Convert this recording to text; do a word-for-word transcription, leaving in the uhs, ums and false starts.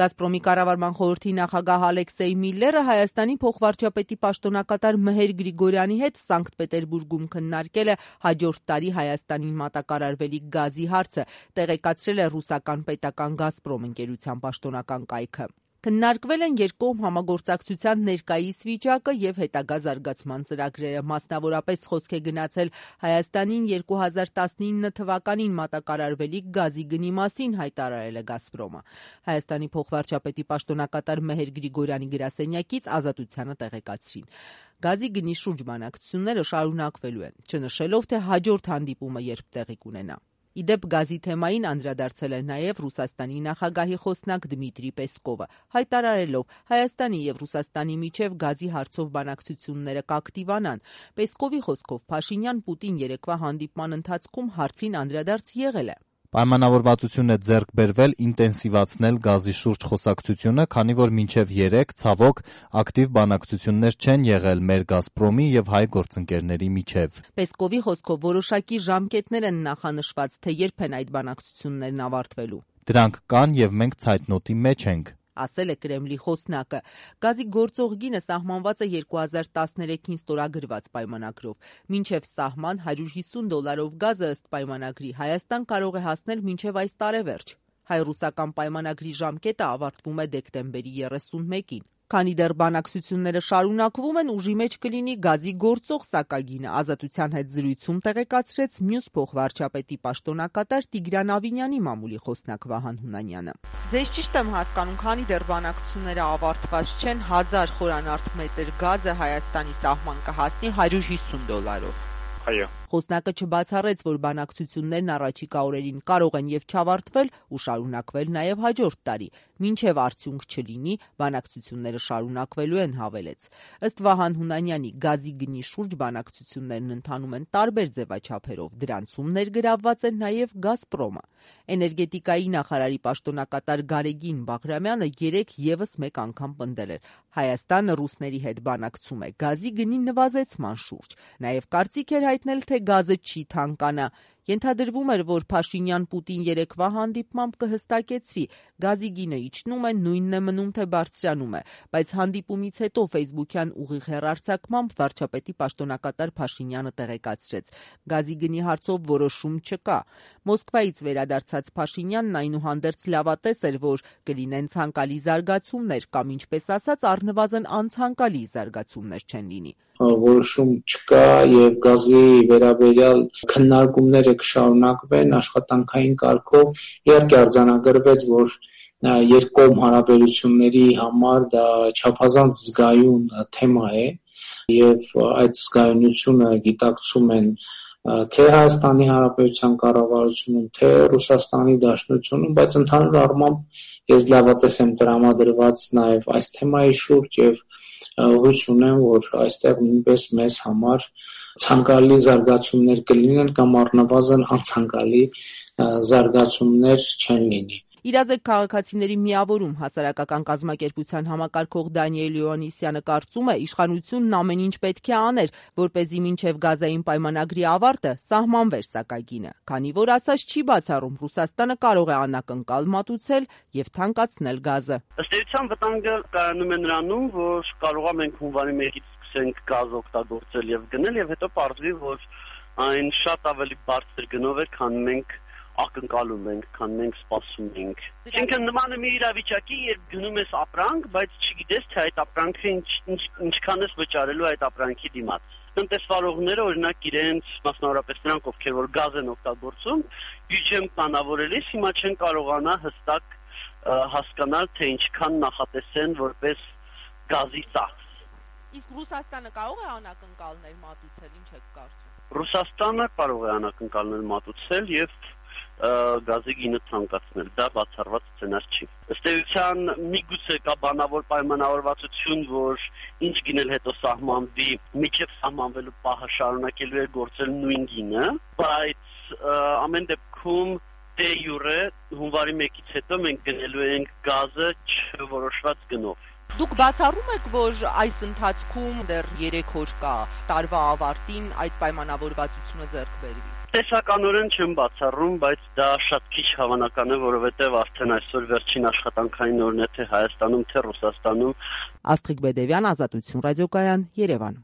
Գազպրոմի կառավարման խորհրդի նախագահ Ալեքսեյ Միլլերը Հայաստանի փոխվարչապետի պաշտոնակատար Մեհեր Գրիգորյանի հետ Սանկտ Պետերբուրգում քննարկել է հաջորդ տարի Հայաստանին մատակարարվելիք գազի հարցը, տեղեկացրել է ռուսական պետական Գազպրոմ ընկերության պաշտոնական կայքը։ Քննարկվել են երկկողմ համագործակցության ներկայիս վիճակը եւ հետագա զարգացման ծրագրերը, մասնավորապես խոսք է գնացել Հայաստանին երկու հազար տասնինը թվականին մատակարարվելիք գազի գնի մասին, հայտարարել է Գազպրոմը։ Հայաստանի փոխվարչապետի պաշտոնակատար Մեհեր Գրիգորյանի գրասենյակից Ազատությանը տեղեկացրին։ Գազի գնի շուրջ բանակցությունները շարունակվելու են, չնշելով, թե հաջորդ հանդիպումը երբ տեղի կունենա։ Իդեպ գազի թեմային անդրադարձել է նաև Ռուսաստանի նախագահի խոսնակ Դմիտրի Պեսկովը, հայտարարելով Հայաստանի եւ Ռուսաստանի միջև գազի հարցով բանակցությունները կակտիվանան։ Պեսկովի խոսքով Փաշինյան-Պուտին երեկվա հանդիպման ընթացքում հարցին անդրադարձ եղել է։ Պայմանավորվածություն է ձեռք բերվել ինտենսիվացնել գազի շուրջ խոսակցությունը, քանի որ մինչև երեկ, ցավոք, ակտիվ բանակցություններ չեն եղել մեր Գազպրոմի եւ հայ գործընկերների միջև։ Պեսկովի խոսքով որոշակի ժամկետներ են նախանշված, թե երբ են այդ բանակցություններն ավարտվելու։ Դրանք կան եւ մենք ցայտնոտի մեջ ենք, ասել է Կրեմլի խոսնակը։ Գազի գործող գինը սահմանված է երկու հազար տասներեքին ստորագրված պայմանագրով։ Մինչև սահման հարյուր հիսուն դոլարով գազը ըստ պայմանագրի Հայաստան կարող է հասնել մինչև այս տարեվերջ։ Հայ-ռուսական պայմանագրի ժամկետը ավարտվում է դեկտեմբերի երեսունմեկին։ Քանի դեռ բանակցությունները շարունակվում են, ուժի մեջ կլինի գազի գործող սակագինը, Ազատության հետ զրույցում տեղեկացրեց մյուս փոխվարչապետի պաշտոնակատար Տիգրան Ավինյանի մամուլի խոսնակ Վահան Հունանյանը։ Ձեզ ճիշտ եմ հասկանում, քանի դեռ բանակցությունները ավարտված չեն, հազար խորանարդ մետր գազը Հայաստանի սահման կհասնի հարյուր հիսուն դոլարով։ Այո։ Խոսնակը չբացառեց, որ բանակցություններն առաջիկա օրերին կարող են եւ չավարտվել ու շարունակվել նաեւ հաջորդ տարի, մինչեւ արդյունք չլինի, բանակցությունները շարունակվելու են, հավելեց։ Ըստ Վահան Հունանյանի, գազի գնի շուրջ բանակցություններն ընթանում են տարբեր ձևաչափերով, դրանցում ներգրավված է նաեւ Գազպրոմը։ Էներգետիկայի նախարարի պաշտոնակատար Գարեգին Բաղրամյանը երեկ եւս մեկ անգամ պնդել էր. Հայաստանը ռուսների հետ բանակցում է գազի գնի նվազեցման շուրջ, նաեւ կարծիք էր հայտնել, թե գազը չի թանկանա։ Ենթադրվում էր, որ Փաշինյան-Պուտին երեկվա հանդիպմամբ կհստակեցվի, գազի գինը իջնում է, նույնն է մնում, թե բարձրանում է, բայց հանդիպումից հետո ֆեյսբուքյան ուղիղ հեռարձակմամբ վարչապետի պաշտոնակատար Փաշինյանը տեղեկացրեց. գազի գնի հարցով որոշում չկա։ Մոսկվայից վերադարձած Փաշինյանն այնուհանդերձ լավատես էր, որ կլինեն ցանկալի զարգացումներ կամ, ինչպես ասած, առնվազն անցանկալի զարգացումներ չեն լինի։ Որոշում չկա եւ գազի վերաբերյալ քննարկումները կշարունակվեն աշխատանքային կարգով։ Իհարկե արձանագրվեց, որ երկկողմ հարաբերությունների համար դա չափազանց զգայուն թեմա է եւ այդ զգայունությունը գիտակցում են թե Հայաստանի Հանրապետության կառավարությունում, թե Ռուսաստանի Դաշնությունում, բայց ընդհանուր առմամբ ես լավատես եմ տրամադրված նաեւ այս թեմայի շուրջ եւ հույս ունեմ, որ այստեղ նույնպես մեզ համար ցանկալի զարգացումներ կլինեն կամ առնվազն անցանկալի զարգացումներ չեն լինի։ Իրազեկ քաղաքացիների միավորում հասարակական կազմակերպության համակարգող Դանիել Յոհաննիսյանը կարծում է, իշխանությունն ամեն ինչ պետք է աներ, որպեսզի մինչև գազային պայմանագրի ավարտը սահմանվեր սակագինը, քանի որ ասած չի բացառում Ռուսաստանը կարող է անակնկալ մատուցել եւ թանկացնել գազը։ Ըստ էության վտանգը կայանում է նրանում, որ կարողա մենք հունվարի մեկից սկսենք գազ օգտագործել եւ գնել եւ հետո պարզվի, որ այն շատ ավելի բարձր գնով է, քան մենք ակնկալում ենք, քան մենք սպասում ենք։ Այսինքն նման է մի իրավիճակի, երբ գնում ես ապրանք, բայց չգիտես, թե այդ ապրանքը ինչքան ես վճարելու այդ ապրանքի դիմաց։ Տնտեսվարողները, օրինակ, իրենց մասնավորապես նրանք, ովքեր որ գազ են օգտագործում, բյուջեն պլանավորելիս հիմա չեն կարողանա հստակ հասկանալ, թե ինչքան նախատեսեն որպես գազի ծախս։ Իսկ Ռուսաստանը կարող է անակնկալներ մատուցել, ինչ եք կարծում։ Ռուսաստանը կարող է անակնկալներ մատուցել եւ գազի գինը թանկացնել, դա բացառված սցենար չի։ Ըստ էության միգուցե կա բանավոր պայմանավորվածություն, որ ինչ գինել հետո սահմանվի, միջև սահմանվելու պահը շարունակելու է գործել նույն գինը, բայց ամեն դեպքում դե յուրե հունվարի մեկից հետո մենք գնելու ենք գազը չորոշված գնով։ Դուք բացառում եք, որ այս ընթացքում դեռ երեք օր կա տարվա ավարտին այդ պայմանավորվածությունը ձեռք բերվի։ Տեսականորեն չեմ բացառում, բայց դա շատ քիչ հավանական է, որովհետև արդեն այսօր վերջին աշխատանքային օրն է թե Հայաստանում, թե Ռուսաստանում։ Աստղիկ Բեդևյան, Ազատություն ռադիոկայան, Երևան։